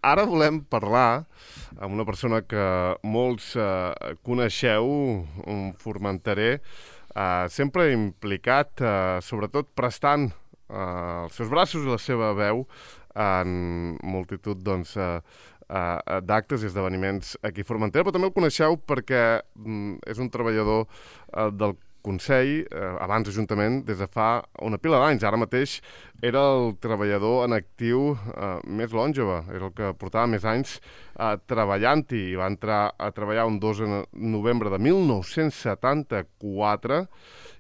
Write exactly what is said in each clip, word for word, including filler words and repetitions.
ara volem parlar amb una persona que molts eh, coneixeu, un formenterer, eh, sempre implicat, eh, sobretot prestant eh, els seus braços i la seva veu en multitud doncs, eh, eh, d'actes i esdeveniments aquí a Formentera, però també el coneixeu perquè mm, és un treballador eh, del Consell, eh, abans Ajuntament, des de fa una pila d'anys. Ara mateix era el treballador en actiu eh, més longeva, era el que portava més anys eh, treballant-hi. I va entrar a treballar un dos de novembre de mil nou-cents setanta-quatre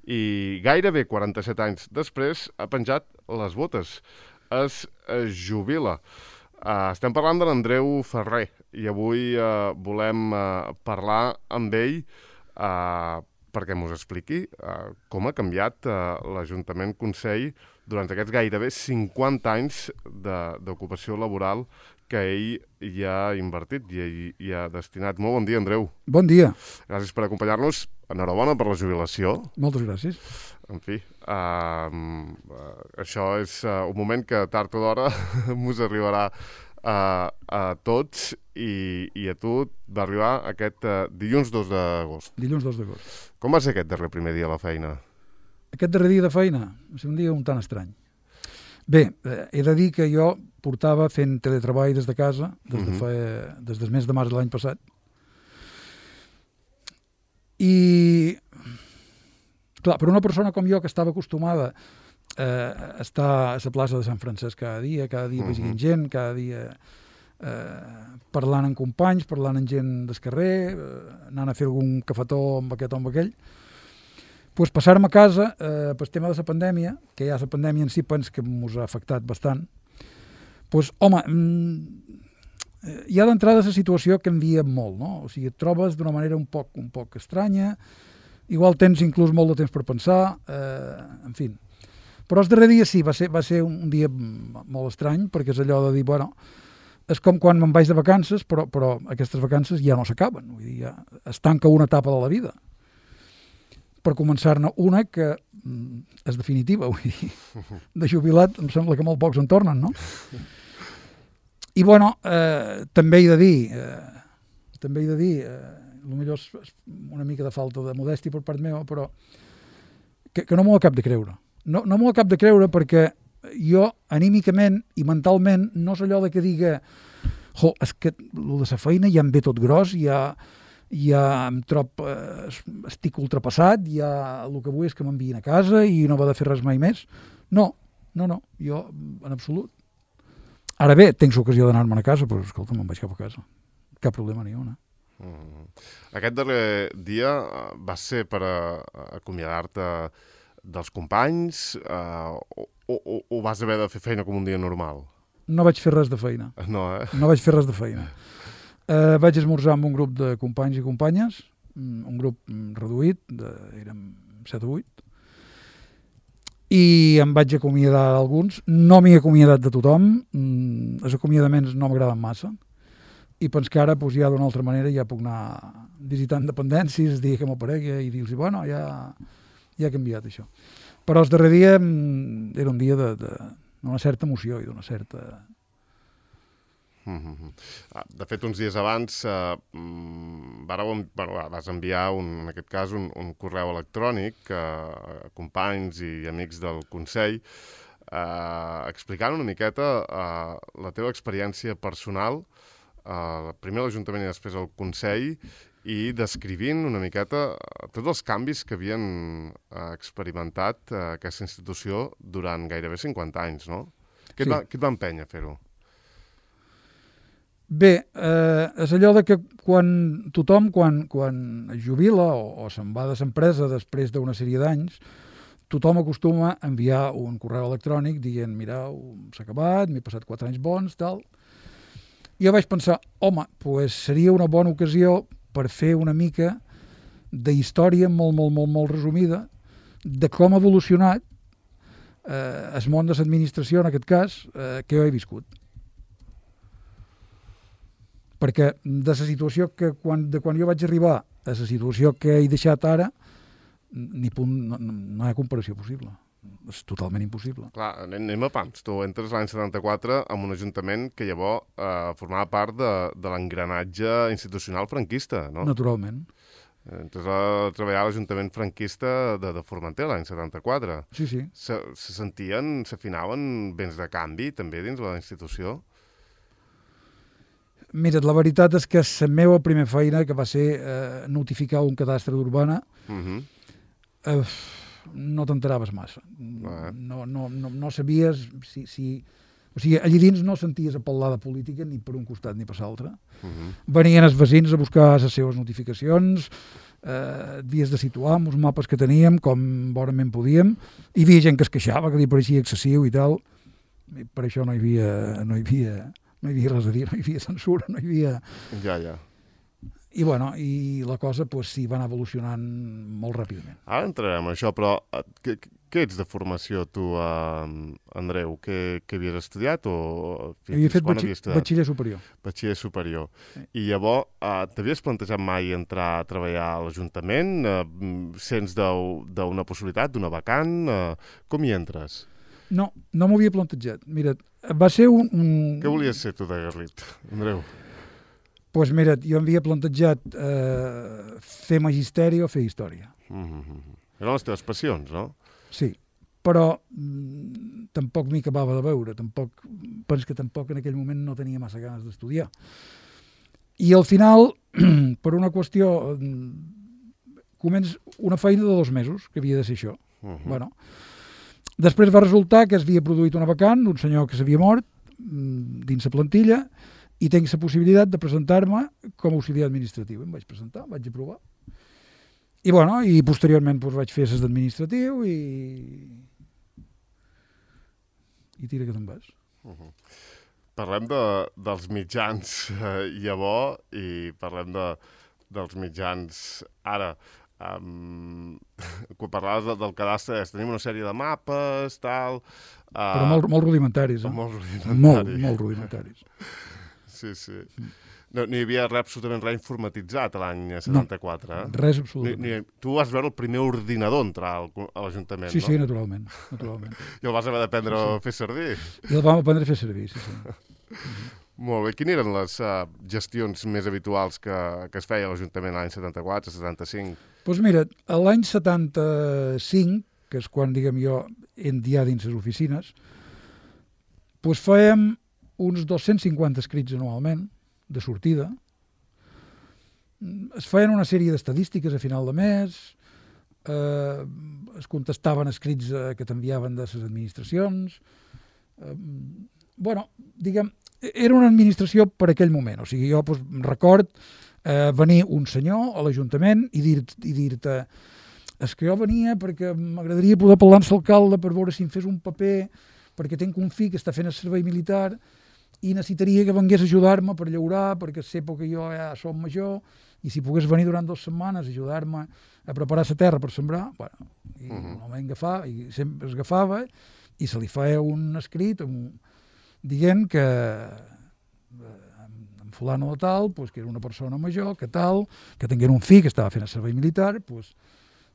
i gairebé quaranta-set anys després ha penjat les botes. Es eh, jubila. Uh, estem parlant de l'Andreu Ferrer i avui uh, volem uh, parlar amb ell uh, perquè mos expliqui uh, com ha canviat uh, l'Ajuntament Consell durant aquests gairebé cinquanta anys d'ocupació laboral que ell hi ha invertit i ell hi ha destinat. Molt bon dia, Andreu. Bon dia. Gràcies per acompanyar-nos. Enhorabona per la jubilació. Moltes gràcies. En fi, uh, uh, això és uh, un moment que tard o d'hora mos arribarà uh, a tots i, i a tu va arribar aquest uh, dilluns dos d'agost. Dilluns dos d'agost. Com va ser aquest darrer primer dia a la feina? Aquest darrer dia de feina va ser un dia un tant estrany. Bé, eh, he de dir que jo portava fent teletreball des de casa des, de uh-huh. fa, des del mes de març de l'any passat. I, clar, per una persona com jo que estava acostumada eh, a estar a la plaça de Sant Francesc cada dia, cada dia uh-huh. veient gent, cada dia eh, parlant amb companys, parlant amb gent del carrer, eh, anant a fer algun cafetó amb aquest o amb aquell, pues passar-me a casa eh, pel tema de la pandèmia, que ja la pandèmia en si pens que ens ha afectat bastant, pues, home, mm, hi ha d'entrada la situació que envia molt, no? O sigui, et trobes d'una manera un poc, un poc estranya, igual tens inclús molt de temps per pensar, eh, en fi. Però el darrer dia sí, va ser, va ser un dia molt estrany, perquè és allò de dir, bueno, és com quan me'n vaig de vacances, però, però aquestes vacances ja no s'acaben, vull dir, ja es tanca una etapa de la vida. Per començar-ne una que mm, és definitiva, vull dir, de jubilat em sembla que molt pocs en tornen, no? I, bueno, eh, també he de dir, eh, també he de dir, eh, potser és una mica de falta de modèstia per part meva, però que, que no m'ho acab de creure. No, no m'ho acab de creure perquè jo, anímicament i mentalment, no és allò de que diga jo, és que el de la feina ja em ve tot gros, ja, ja em trob, eh, estic ultrapassat, ja el que vull és que m'enviïn a casa i no va de fer res mai més. No, no, no, jo en absolut. Ara bé, tens ocasió d'anar-me'n a casa, però escolta, me'n vaig cap a casa. Cap problema ni una. Mm. Aquest darrer dia va ser per a, a acomiadar-te dels companys uh, o, o, o vas haver de fer feina com un dia normal? No vaig fer res de feina. No, eh? No vaig fer res de feina. Uh, vaig esmorzar amb un grup de companys i companyes, un grup reduït, de, érem set o vuit, i em vaig acomiadar d'alguns. No m'he acomiadat de tothom, mm, els acomiadaments no m'agraden massa, i pens que ara pues, ja d'una altra manera ja puc anar visitant dependències, dir que m'aparegui i dir-los, bueno, ja, ja ha canviat això. Però el darrer dia mm, era un dia d'una certa emoció i d'una certa... Mm-hmm. De fet, uns dies abans eh, vareu, bueno, vas enviar, un, en aquest cas, un, un correu electrònic eh, a companys i amics del Consell eh, explicant una miqueta eh, la teva experiència personal, eh, primer a l'Ajuntament i després al Consell, i descrivint una miqueta tots els canvis que havien eh, experimentat eh, aquesta institució durant gairebé cinquanta anys, no? Què et, sí. va, què et va empènyer a fer-ho? Bé, eh, és allò de que quan tothom, quan, quan es jubila o, o se'n va de l'empresa després d'una sèrie d'anys, tothom acostuma a enviar un correu electrònic dient, mireu, s'ha acabat, m'he passat quatre anys bons, tal. I jo vaig pensar, home, pues seria una bona ocasió per fer una mica d'història molt, molt, molt, molt resumida de com ha evolucionat eh, el món de l'administració, en aquest cas, eh, que jo he viscut. Perquè de la situació que quan, de quan jo vaig arribar a la situació que he deixat ara, ni punt, no, no hi ha comparació possible. és totalment impossible. Clar, anem a pams. Tu entres l'any setanta-quatre en un ajuntament que llavors eh, formava part de, de l'engranatge institucional franquista, no? Naturalment. Entres a treballar a l'Ajuntament franquista de, de Formentera l'any setanta-quatre. Sí, sí. Se, se sentien, s'afinaven vents de canvi també dins la institució? Mira, la veritat és que la meva primera feina, que va ser eh, notificar un cadastre d'urbana, Uh -huh. eh, no t'enteraves massa. Ah. No, no, no, no sabies si, si... O sigui, allí dins no senties a parlar de política ni per un costat ni per l'altre. Uh -huh. Venien els veïns a buscar les seves notificacions, eh, havies de situar amb els mapes que teníem, com bonament podíem, i hi havia gent que es queixava, que li pareixia excessiu i tal. I per això no hi havia, no hi havia, no hi havia res a dir, no hi havia censura, no hi havia... Ja, ja. I, bueno, i la cosa pues, sí, va anar evolucionant molt ràpidament. Ara entrarem en això, però què, què ets de formació tu, uh, Andreu? Què, què havies estudiat? O fins Havia fet quan batxi havies estudiat? batxiller superior. Batxiller superior. Sí. I llavors, uh, t'havies plantejat mai entrar a treballar a l'Ajuntament? Uh, sents d'una possibilitat, d'una vacant? Uh, com hi entres? No, no m'ho havia plantejat. Mira, va ser un... un... Què volies ser tu de Garlit, Andreu? Doncs pues mira, jo m'havia plantejat eh, fer magisteri o fer història. Mm-hmm. Eren les teves passions, no? Sí, però mm, tampoc m'hi acabava de veure. Tampoc, penso que tampoc en aquell moment no tenia massa ganes d'estudiar. I al final, per una qüestió, començ una feina de dos mesos, que havia de ser això. Mm-hmm. Bueno, després va resultar que es havia produït una vacant d'un senyor que s'havia mort dins la plantilla, i tinc la possibilitat de presentar-me com a auxiliar administratiu. Em vaig presentar, vaig aprovar. I, bueno, i posteriorment doncs, vaig fer ses d'administratiu i... i tira que te'n vas. Uh-huh. Parlem de, dels mitjans eh, llavors i parlem de, dels mitjans ara. Um, quan parlaves de, del cadastre, tenim una sèrie de mapes, tal... Uh, Però molt, molt rudimentaris, eh? Molt rudimentaris. Molt, molt rudimentaris. Sí, sí. No, no hi havia res, absolutament res informatitzat a l'any setanta-quatre, eh? No, res absolutament. Ni, ni, tu vas veure el primer ordinador entrar al, a l'Ajuntament, sí, no? Sí, sí, naturalment. naturalment. I el vas haver d'aprendre sí, sí. a fer servir. I el vam aprendre a fer servir, sí, sí. Molt bé. Quines eren les uh, gestions més habituals que, que es feia a l'Ajuntament l'any setanta-quatre, setanta-cinc? Doncs pues mira, l'any setanta-cinc, que és quan, diguem jo, endia dins les oficines, doncs fèiem uns dos-cents cinquanta escrits anualment, de sortida. Es feien una sèrie d'estadístiques a final de mes, eh, es contestaven escrits eh, que t'enviaven de les administracions. Eh, bueno, diguem, era una administració per aquell moment. O sigui, jo doncs, record eh, venir un senyor a l'Ajuntament i dir-te i dir-te és que jo venia perquè m'agradaria poder parlar amb l'alcalde per veure si em fes un paper, perquè tinc un fill que està fent el servei militar i necessitaria que vengués a ajudar-me per llaurar, perquè sé que jo ja som major, i si pogués venir durant dues setmanes a ajudar-me a preparar la terra per sembrar, bueno, i uh-huh. no m'agafava, i sempre es agafava, i se li feia un escrit un, dient que eh, en fulano de tal, pues, que era una persona major, que tal, que tinguera un fill que estava fent el servei militar, pues,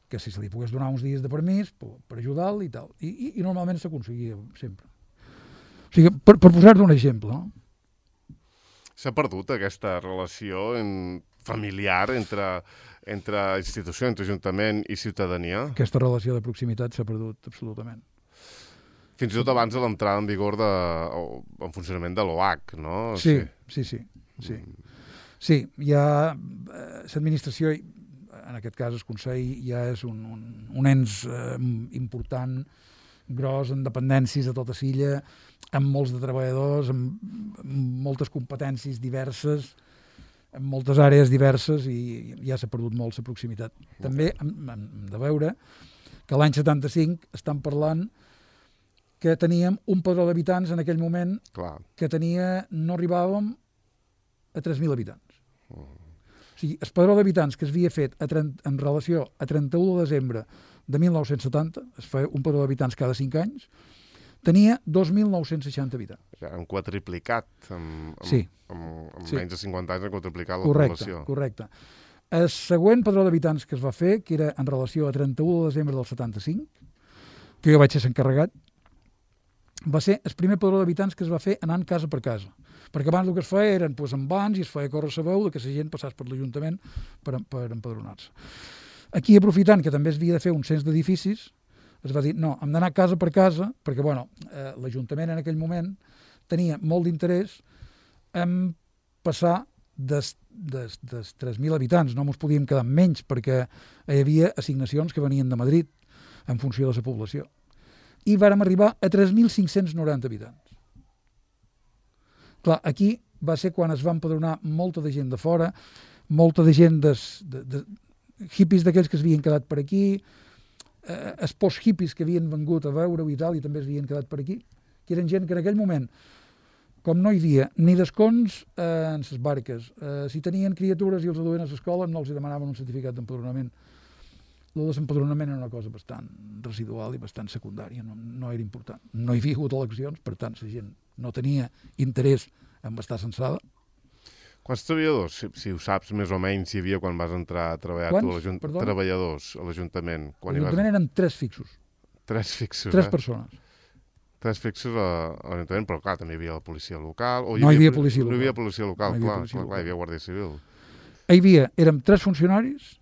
que si se li pogués donar uns dies de permís per, per ajudar-lo i tal. I, i, i normalment s'aconseguia sempre. O sigui, per, per posar-te un exemple, no? S'ha perdut aquesta relació en, familiar entre, entre institució, entre ajuntament i ciutadania? Aquesta relació de proximitat s'ha perdut absolutament. Fins i tot abans de l'entrada en vigor de, o en funcionament de l'O H, no? Sí, sí, sí. Sí, sí hi ha l'administració, en aquest cas el Consell, ja és un, un, un ens eh, important, gros, en dependències de tota l'illa, amb molts de treballadors, amb, amb moltes competències diverses, en moltes àrees diverses, i ja s'ha perdut molt la proximitat. També hem, hem de veure que l'any setanta-cinc estan parlant que teníem un padró d'habitants en aquell moment. Clar. Que tenia, no arribàvem a tres mil habitants. Uh. O sigui, el padró d'habitants que es havia fet a trenta, en relació a trenta-u de desembre de mil nou-cents setanta, es feia un padró d'habitants cada cinc anys, tenia dos mil nou-cents seixanta habitants. Ja han quadriplicat, amb, amb, sí. amb, amb sí. menys de cinquanta anys han quadriplicat la correcte, població. Correcte. El següent padró d'habitants que es va fer, que era en relació a trenta-u de desembre del setanta-cinc, que jo vaig ser encarregat, va ser el primer padró d'habitants que es va fer anant casa per casa. Perquè abans el que es feia eren doncs, en bans i es feia córrer la veu que la gent passés per l'Ajuntament per, per empadronar-se. Aquí, aprofitant que també es havia de fer un cens d'edificis, es va dir, no, hem d'anar casa per casa, perquè bueno, eh, l'Ajuntament en aquell moment tenia molt d'interès en passar des, des, des tres mil habitants, no ens podíem quedar amb menys, perquè hi havia assignacions que venien de Madrid en funció de la població. I vàrem arribar a tres mil cinc-cents noranta habitants. Clar, aquí va ser quan es va empadronar molta de gent de fora, molta de gent des, de, de hippies d'aquells que es havien quedat per aquí, eh, els post-hippies que havien vengut a veure-ho i tal, i també es havien quedat per aquí, que eren gent que en aquell moment, com no hi havia ni descons eh, en les barques, eh, si tenien criatures i els aduien a l'escola, no els demanaven un certificat d'empadronament. El desempadronament era una cosa bastant residual i bastant secundària, no, no era important. No hi havia hagut eleccions, per tant, la gent no tenia interès en estar censada. Quants treballadors, si, si ho saps més o menys, hi havia quan vas entrar a treballar Quants? tu a l'Ajuntament? Perdona? Treballadors a l'Ajuntament. Quan hi vas... L'Ajuntament eren tres fixos, Tres fixos, tres eh? persones. Tres fixos a, a l'Ajuntament, però clar, també hi havia la policia local. O hi No hi havia, havia policia No hi local. havia policia local, No hi havia clar, policia clar, local. clar, hi havia Guàrdia Civil. Hi havia, érem tres funcionaris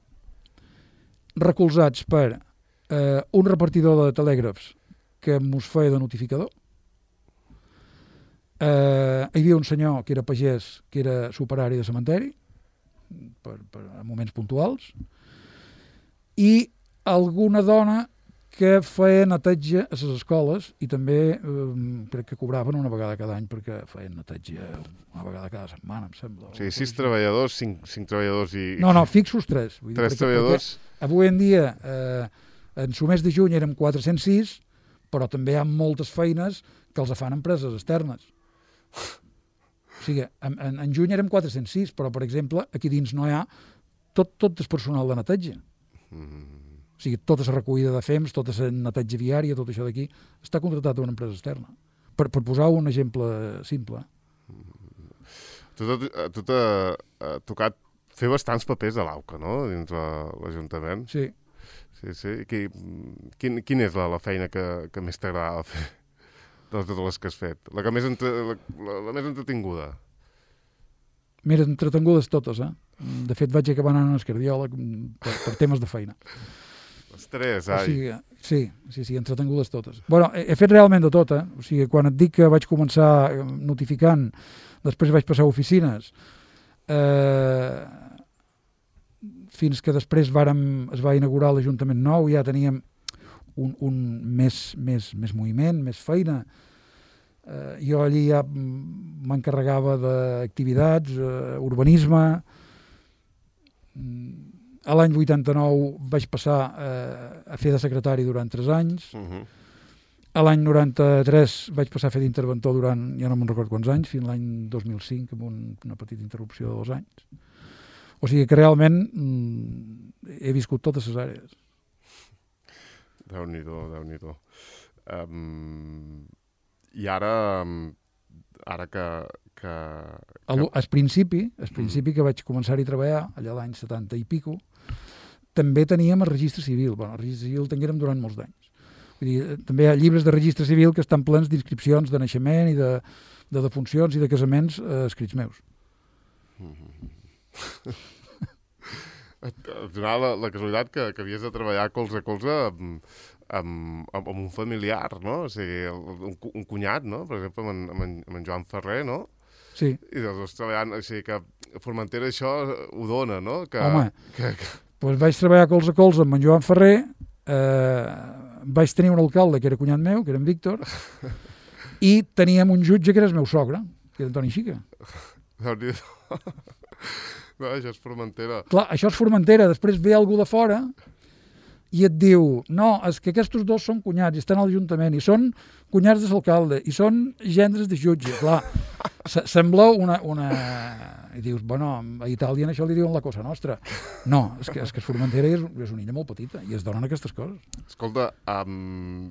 recolzats per eh, un repartidor de telègrafs que mos feia de notificador. Eh, hi havia un senyor que era pagès, que era superari de cementeri, per, per, a moments puntuals, i alguna dona que feia neteja a les escoles i també eh, crec que cobraven una vegada cada any perquè feien neteja una vegada cada setmana, em sembla. O sigui, sis treballadors, cinc, cinc treballadors i... No, no, fixos tres. Vull dir, Tres perquè, treballadors... Perquè avui en dia, eh, en el mes de juny érem quatre-cents sis, però també hi ha moltes feines que els fan empreses externes. O sigui, en, en, en juny érem quatre-cents sis, però, per exemple, aquí dins no hi ha tot, tot el personal de neteja. Mm. O sigui, tota la recollida de fems, tota la neteja viària, tot això d'aquí, està contratat a una empresa externa. Per, per posar un exemple simple. Tu, tu, tu t'ha tocat fer bastants papers de l'Auca, no?, dins l'Ajuntament. Sí. Sí, sí. Qui, quin, quin és la, la feina que, que més t'agradava fer de totes les que has fet? La que més, entre, la, la, la més entretinguda? Mira, entretengudes totes, eh? De fet, vaig acabar anant a l'escardiòleg per, per temes de feina. Les tres, O ai. sigui, sí, sí, sí, entretengudes totes. Bueno, he, he fet realment de tot, eh? O sigui, quan et dic que vaig començar notificant, després vaig passar a oficines, eh, fins que després vàrem, es va inaugurar l'Ajuntament nou, ja teníem un, un més, més, més moviment, més feina. Eh, jo allí ja m'encarregava d'activitats, eh, urbanisme. A l'any vuitanta-nou vaig passar eh, a fer de secretari durant tres anys. Uh-huh. A l'any noranta-tres vaig passar a fer d'interventor durant, ja no me'n recordo quants anys, fins l'any dos mil cinc, amb un, una petita interrupció de dos anys. O sigui que realment mm, he viscut totes les àrees. Déu-n'hi-do, Déu-n'hi-do. Um, I ara, ara que... que, que... Al, al principi, al principi que vaig començar-hi a treballar, allà l'any setanta i pico, també teníem el registre civil. Bueno, el registre civil el tinguérem durant molts anys. Vull dir, també hi ha llibres de registre civil que estan plens d'inscripcions de naixement i de, de defuncions i de casaments eh, escrits meus. Mm-hmm. Et donava la, la casualitat que, que havies de treballar colze a colze amb, amb, amb un familiar, no? O sigui, un, un cunyat, no? Per exemple, amb en, amb en, amb en Joan Ferrer, no? Sí. I els dos treballant, o sigui que Formentera això ho dona, no? Que, Home, que, que... Doncs vaig treballar colze a colze amb en Joan Ferrer, eh, vaig tenir un alcalde que era cunyat meu, que era en Víctor, i teníem un jutge que era el meu sogre, que era Antoni Xica. Déu-n'hi-do. No, això és Formentera. Clar, això és Formentera. Després ve algú de fora i et diu, no, és que aquests dos són cunyats i estan a l'Ajuntament i són cunyats de l'alcalde i són gendres de jutge. Clar, sembla una, una... I dius, bueno, a Itàlia en això li diuen la cosa nostra. No, és que, és que Formentera és, és una illa molt petita i es donen aquestes coses. Escolta, um,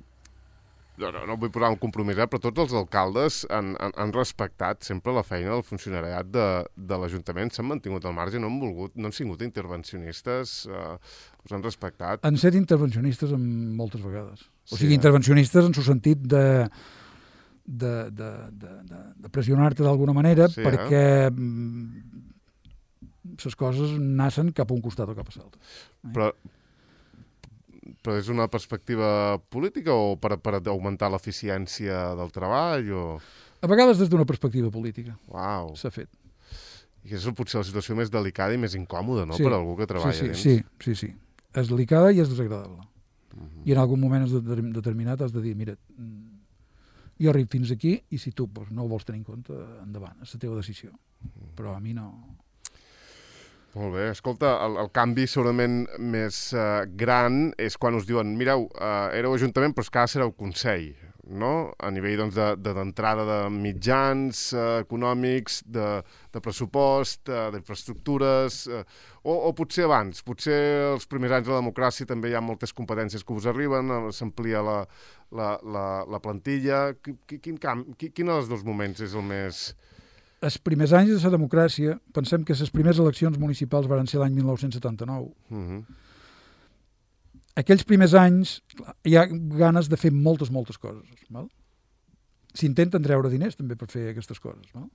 no, no, no vull posar un compromís, eh, però tots els alcaldes han, han, han respectat sempre la feina del funcionariat de, de l'Ajuntament, s'han mantingut al marge, no han volgut, no han sigut intervencionistes, eh, us han respectat. Han set intervencionistes en moltes vegades. O Sí, sigui, eh? intervencionistes en el sentit de, de, de, de, de, de pressionar-te d'alguna manera Sí, perquè les coses nacen cap a un costat o cap a l'altre. Però, però és una perspectiva política o per, per augmentar l'eficiència del treball? O... A vegades des d'una perspectiva política Uau. s'ha fet. I és potser la situació més delicada i més incòmoda, no?, Sí. per algú que treballa sí, sí, dins. sí, sí, sí. És delicada i és desagradable. Uh -huh. I en algun moment determinat has de dir, mira, jo arribo fins aquí i si tu doncs, no ho vols tenir en compte, endavant, és la teva decisió. Però a mi no... Molt bé. Escolta, el, el canvi segurament més uh, gran és quan us diuen, mireu, uh, éreu Ajuntament, però és que ara sereu Consell, no? A nivell doncs, de, de, d'entrada de mitjans uh, econòmics, de, de pressupost, uh, d'infraestructures, uh, o, o potser abans, potser els primers anys de la democràcia també hi ha moltes competències que us arriben, uh, s'amplia la, la, la, la plantilla. Quin, quin, camp, quin, quin dels dos moments és el més... Els primers anys de la democràcia, pensem que les primeres eleccions municipals van ser l'any mil nou-cents setanta-nou. Uh -huh. Aquells primers anys hi ha ganes de fer moltes, moltes coses. Val? S'intenten treure diners també per fer aquestes coses. Val?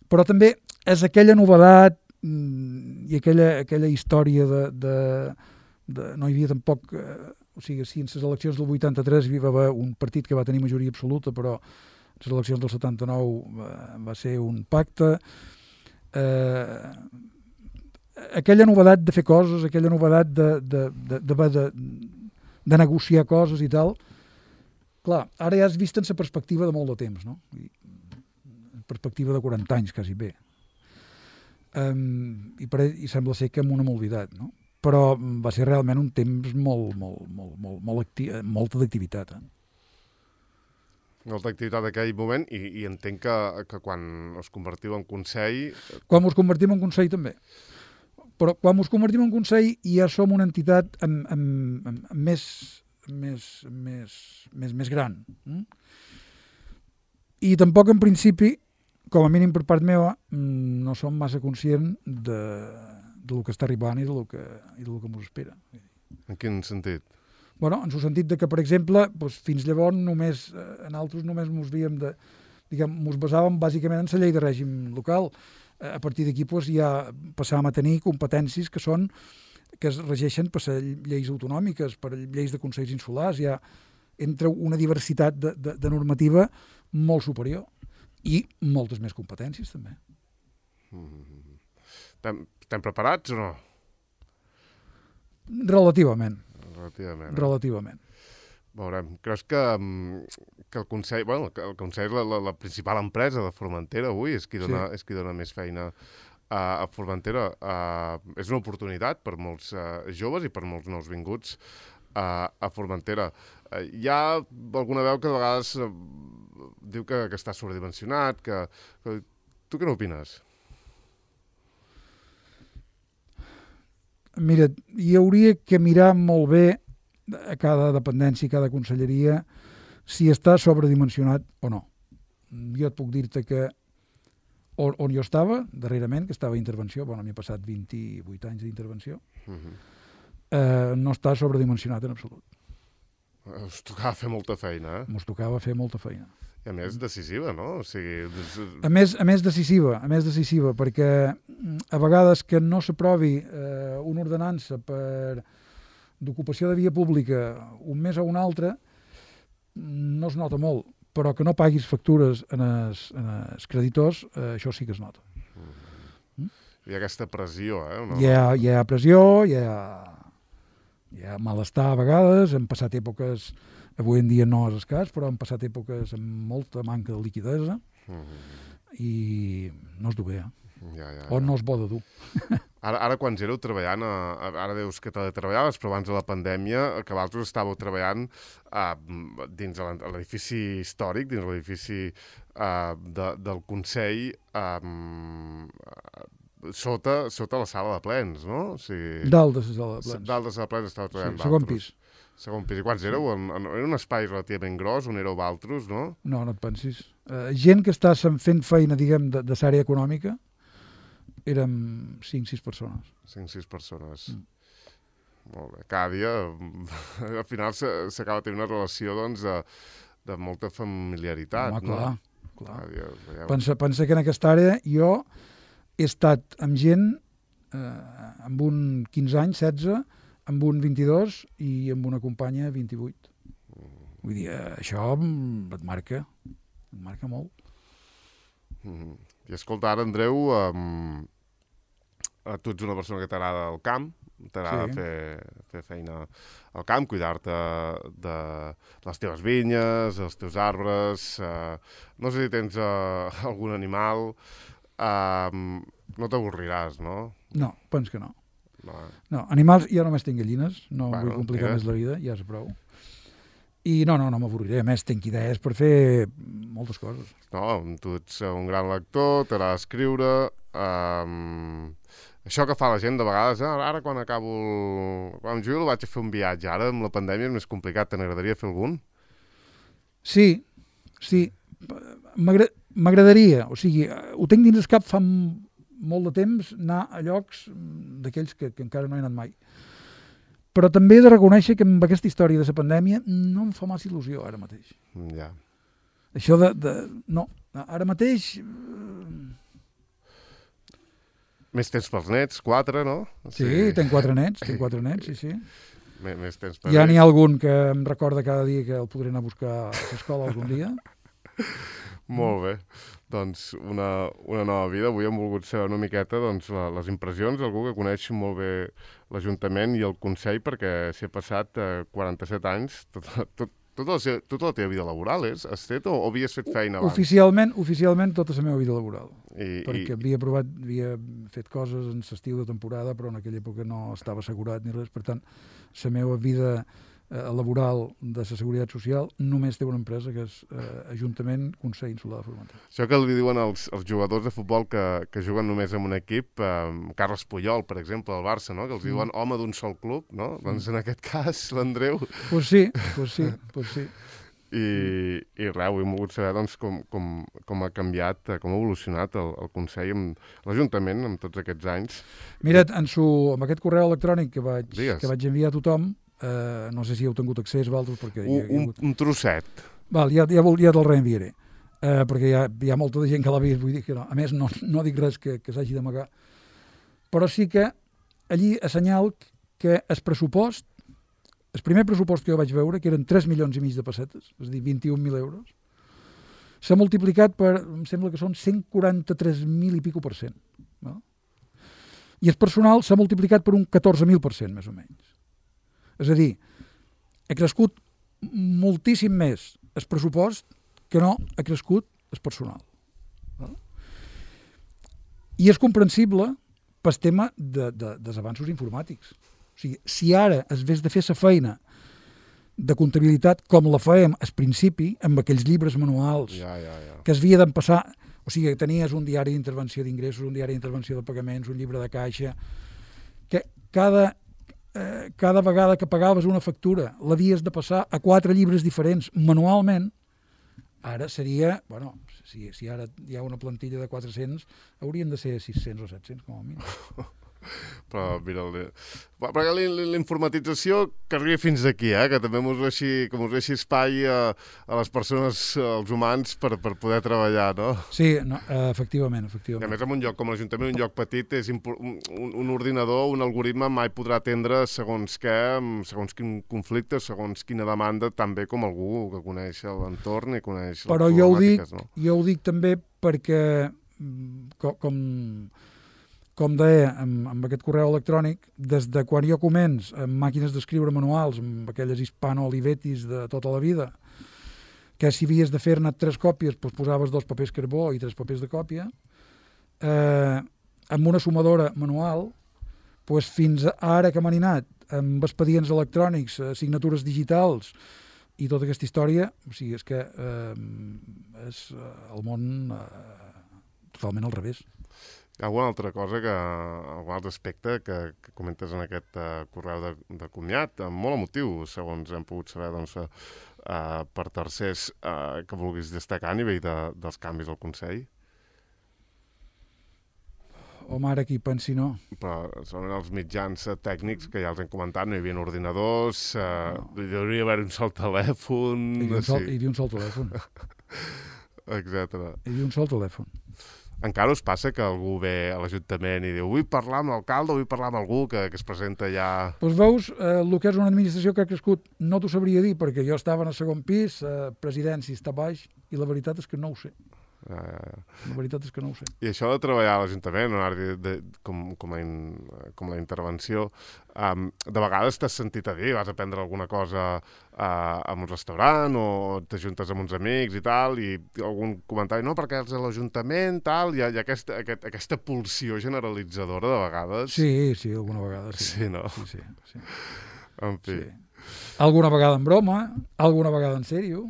Però també és aquella novedat i aquella, aquella història de, de, de... No hi havia tampoc... Eh, o sigui, si en les eleccions del vuitanta-tres hi va haver un partit que va tenir majoria absoluta, però les eleccions del setanta-nou va, va ser un pacte. Eh, aquella novedat de fer coses, aquella novedat de, de, de, de, de, de negociar coses i tal, clar, ara ja has vist en la perspectiva de molt de temps, no? I, perspectiva de quaranta anys, quasi bé. Um, i, per, I sembla ser que amb una molvidat, no? Però va ser realment un temps molt, molt, molt, molt, molt acti molta d'activitat, eh? Molta activitat d'aquell moment i, i entenc que, que quan us convertiu en Consell... Quan us convertim en Consell també. Però quan us convertim en Consell ja som una entitat amb, amb, amb, amb més, més, més, més, més gran. Mm? I tampoc en principi, com a mínim per part meva, no som massa conscient de, de lo que està arribant i de lo que, i de lo que ens espera. En quin sentit? Bueno, en el sentit de que, per exemple, doncs, fins llavors només, eh, en altres només ens havíem de, diguem, ens basàvem bàsicament en la llei de règim local. Eh, a partir d'aquí doncs, ja passàvem a tenir competències que són que es regeixen per lleis autonòmiques, per lleis de consells insulars, ja entra una diversitat de, de, de normativa molt superior i moltes més competències també. Mm-hmm. Estem, estem preparats o no? Relativament. Relativament. Relativament. Veurem. Creus que, que el Consell, bueno, que el Consell és la, la, la principal empresa de Formentera avui, és qui dona, sí. és qui dona més feina a, a Formentera. Uh, és una oportunitat per molts uh, joves i per molts nous vinguts uh, a Formentera. Uh, hi ha alguna veu que de vegades uh, diu que, que està sobredimensionat, que, que... Tu què n'opines? Mira, hi hauria que mirar molt bé a cada dependència, a cada conselleria, si està sobredimensionat o no. Jo et puc dir-te que on, on jo estava, darrerament, que estava a intervenció, bueno, m'he passat vint-i-vuit anys d'intervenció, uh-huh. eh, no està sobredimensionat en absolut. Us tocava fer molta feina, eh? Ens tocava fer molta feina. I a més decisiva, no? O sigui... A més, a més decisiva, a més decisiva, perquè a vegades que no s'aprovi eh, una ordenança per d'ocupació de via pública un mes o un altre, no es nota molt, però que no paguis factures en els, en els creditors, eh, això sí que es nota. Mm. Hi ha aquesta pressió, eh? No? Hi, ha, hi ha pressió, hi ha, hi ha malestar a vegades, hem passat èpoques... Avui en dia no és escàs, però han passat èpoques amb molta manca de liquidesa mm-hmm. i no es du bé, eh? Ja, ja, ja. O no es bo de dur. Ara, ara quan éreu treballant, a, ara dius que teletreballaves, però abans de la pandèmia, que vosaltres estàveu treballant uh, dins l'edifici històric, dins l'edifici uh, de, del Consell, um, sota, sota la sala de plens, no? O sigui, dalt de la sala de plens. Dalt de la sala de plens estàveu treballant sí, segon pis. Segon pis. I quants éreu? En, en, era un espai relativament gros on éreu altres, no? No, no et pensis. Uh, gent que està fent feina, diguem, de, de l'àrea econòmica, érem cinc sis persones. cinc sis persones. Mm. Molt bé. Cada dia, al final, s'acaba tenint una relació, doncs, de, de molta familiaritat, Home, no? clar, clar. Cada dia, veieu... Pensa, pensa que en aquesta àrea jo he estat amb gent eh, amb un quinze anys, setze, amb un vint-i-dos i amb una companya vint-i-vuit. Vull dir, eh, això et marca, et marca molt. Mm-hmm. I escolta, ara, Andreu, um, tu ets una persona que t'agrada el camp, t'agrada sí. fer, fer feina al camp, cuidar-te de les teves vinyes, els teus arbres, uh, no sé si tens uh, algun animal, uh, no t'avorriràs, no? No, penso que no. No, eh? No, animals, jo només tinc gallines, no bueno, vull complicar mira. més la vida, ja és prou. I no, no, no m'avorriré, a més tinc idees per fer moltes coses. No, tu ets un gran lector, t'agrada escriure, um, això que fa la gent de vegades, eh? ara quan acabo, el... quan em jubilo vaig a fer un viatge, ara amb la pandèmia és més complicat, te n'agradaria fer algun? Sí, sí, m'agradaria, o sigui, ho tinc dins el cap fa molt de temps, anar a llocs d'aquells que, que encara no he anat mai. Però també he de reconèixer que amb aquesta història de la pandèmia no em fa massa il·lusió ara mateix. Ja. Això de... de no, ara mateix... Més temps pels nets, quatre, no? Sí, sí, tenc quatre nets, tenc quatre nets, sí, sí. M més temps per ja n'hi ha algun que em recorda cada dia que el podré anar a buscar a l'escola algun dia. Molt bé. Doncs una, una nova vida. Avui hem volgut saber una miqueta doncs, la, les impressions d'algú que coneix molt bé l'Ajuntament i el Consell, perquè s'hi ha passat eh, quaranta-set anys, tot, tot, tota, la seva, tota la teva vida laboral, és? Has fet o, o havies fet feina abans? Oficialment, oficialment tota la meva vida laboral. I, perquè i... havia provat, havia fet coses en l'estiu de temporada, però en aquella època no estava assegurat ni res. Per tant, la meva vida eh, laboral de la Seguretat Social només té una empresa que és eh, Ajuntament Consell Insular de Formentera. Això que li diuen els, els jugadors de futbol que, que juguen només en un equip, eh, Carles Puyol, per exemple, al Barça, no? Que els diuen home d'un sol club, no? Mm. Doncs en aquest cas, l'Andreu... Pues sí, pues sí, pues sí. I, i res, avui hem volgut saber doncs, com, com, com ha canviat, com ha evolucionat el, el Consell, amb l'Ajuntament, amb tots aquests anys. Mira't, en su, amb aquest correu electrònic que vaig, Digues. que vaig enviar a tothom, eh, no sé si heu tingut accés, Valdos, perquè... Un, hi ha, hi ha un, hagut... un trosset. Val, ja, ja, ja te'l reenviaré, eh, perquè hi ha, hi ha molta de gent que l'ha vist, vull dir que no. A més, no, no dic res que, que s'hagi d'amagar. Però sí que allí assenyal que el pressupost, el primer pressupost que jo vaig veure, que eren tres milions i mig de pessetes, és a dir, vint-i-un mil euros, s'ha multiplicat per, em sembla que són cent quaranta-tres mil i pico per cent. No? I el personal s'ha multiplicat per un catorze mil per cent, més o menys. És a dir, ha crescut moltíssim més el pressupost que no ha crescut el personal. No? I és comprensible pel tema de, de, dels avanços informàtics. O sigui, si ara es vés de fer la feina de comptabilitat com la fèiem al principi, amb aquells llibres manuals ja, ja, ja. que es havia d'empassar, o sigui, tenies un diari d'intervenció d'ingressos, un diari d'intervenció de pagaments, un llibre de caixa, que cada, eh, cada vegada que pagaves una factura l'havies de passar a quatre llibres diferents manualment, ara seria, bueno, si, si ara hi ha una plantilla de quatre-cents, haurien de ser sis-cents o set-cents com a mínim. Però mira, perquè la informatització que arribi fins aquí, eh? Que també mos deixi, que mos deixi espai a, a les persones, als humans, per, per poder treballar, no? Sí, no, efectivament, efectivament. I a més, en un lloc com l'Ajuntament, un lloc petit, és un, un ordinador, un algoritme mai podrà atendre segons què, segons quin conflicte, segons quina demanda, tan bé com algú que coneix l'entorn i coneix Però les jo ho dic, no? jo ho dic també perquè, com, com Com deia, amb, amb aquest correu electrònic, des de quan jo començ amb màquines d'escriure manuals, amb aquelles hispano-olivetis de tota la vida, que si havies de fer-ne tres còpies, doncs posaves dos papers carbó i tres papers de còpia, eh, amb una sumadora manual, doncs fins ara que m'han anat, amb expedients electrònics, signatures digitals i tota aquesta història, o sigui, és que eh, és el món eh, totalment al revés. Hi ha alguna altra cosa, que, algun altre aspecte que, que comentes en aquest uh, correu de, de comiat, molt emotiu, segons hem pogut saber, doncs, uh, per tercers, uh, que vulguis destacar a nivell de, dels canvis al Consell? Home, ara qui pensi no. Però són els mitjans tècnics que ja els hem comentat, no hi havia ordinadors, uh, no. Hi hauria haver un sol telèfon... Hi havia un sol, hi havia un sol telèfon. Etcètera. Hi havia un sol telèfon. Encara us passa que algú ve a l'Ajuntament i diu vull parlar amb l'alcalde, vull parlar amb algú que, que es presenta ja... Doncs veus, eh, el que és una administració que ha crescut no t'ho sabria dir, perquè jo estava en el segon pis, eh, presidència està baix, i la veritat és que no ho sé. Uh, la veritat és que no ho sé. I això de treballar a l'Ajuntament, de, de, com, com, a in, com la intervenció, um, de vegades t'has sentit a dir, vas a prendre alguna cosa uh, a un restaurant o t'ajuntes amb uns amics i tal, i algun comentari, no, perquè els de l'Ajuntament, tal, hi ha, hi ha aquesta, aquest, aquesta pulsió generalitzadora de vegades. Sí, sí, alguna vegada, sí. Sí, no? Sí, sí, sí. En fi. Sí. Alguna vegada en broma, alguna vegada en sèrio,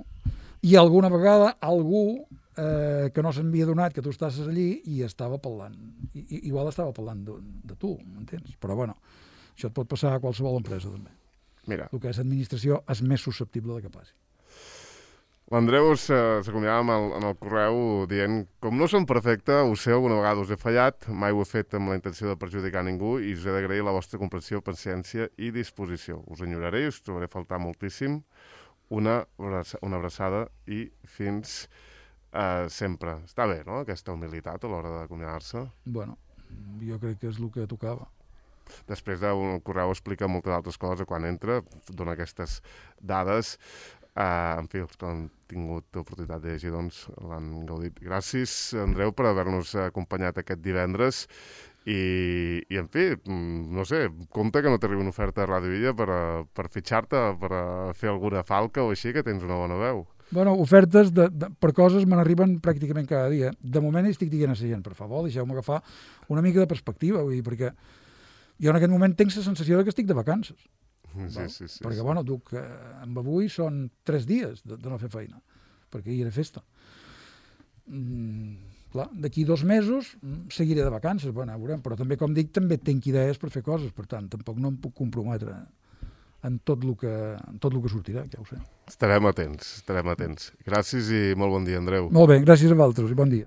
i alguna vegada algú Eh, que no s'havia donat que tu estàs allí i estava parlant. I, i, igual estava parlant de, de tu, m'entens? Però bueno, això et pot passar a qualsevol empresa també. Mira. El que és administració és més susceptible de que passi. L'Andreu s'acomiadava en, el, en el correu dient com no som perfecte, ho sé, alguna vegada us he fallat, mai ho he fet amb la intenció de perjudicar ningú i us he d'agrair la vostra comprensió, paciència i disposició. Us enyoraré i us trobaré a faltar moltíssim. Una, una abraçada i fins... Uh, sempre. Està bé, no?, aquesta humilitat a l'hora d'acomiadar-se. Bueno, jo crec que és el que tocava. Després d'un correu explica moltes altres coses quan entra, dona aquestes dades. Uh, en fi, els que han tingut l'oportunitat de llegir, doncs, l'han gaudit. Gràcies, Andreu, per haver-nos acompanyat aquest divendres. I, i en fi, no sé, compte que no t'arribi una oferta a Ràdio Illa per, per fitxar-te, per fer alguna falca o així, que tens una bona veu. Bueno, ofertes de, de, per coses me n'arriben pràcticament cada dia. De moment estic dient a la gent, per favor, deixeu-me agafar una mica de perspectiva, vull dir, perquè jo en aquest moment tinc la sensació de que estic de vacances. Sí, sí, sí, perquè, sí. bueno, duc, eh, amb avui són tres dies de, de no fer feina, perquè ahir era festa. Mm, clar, d'aquí dos mesos seguiré de vacances, bueno, veurem, però també, com dic, també tinc idees per fer coses, per tant, tampoc no em puc comprometre en tot el que, en tot el que sortirà, ja ho sé. Estarem atents, estarem atents. Gràcies i molt bon dia, Andreu. Molt bé, gràcies a vosaltres i bon dia.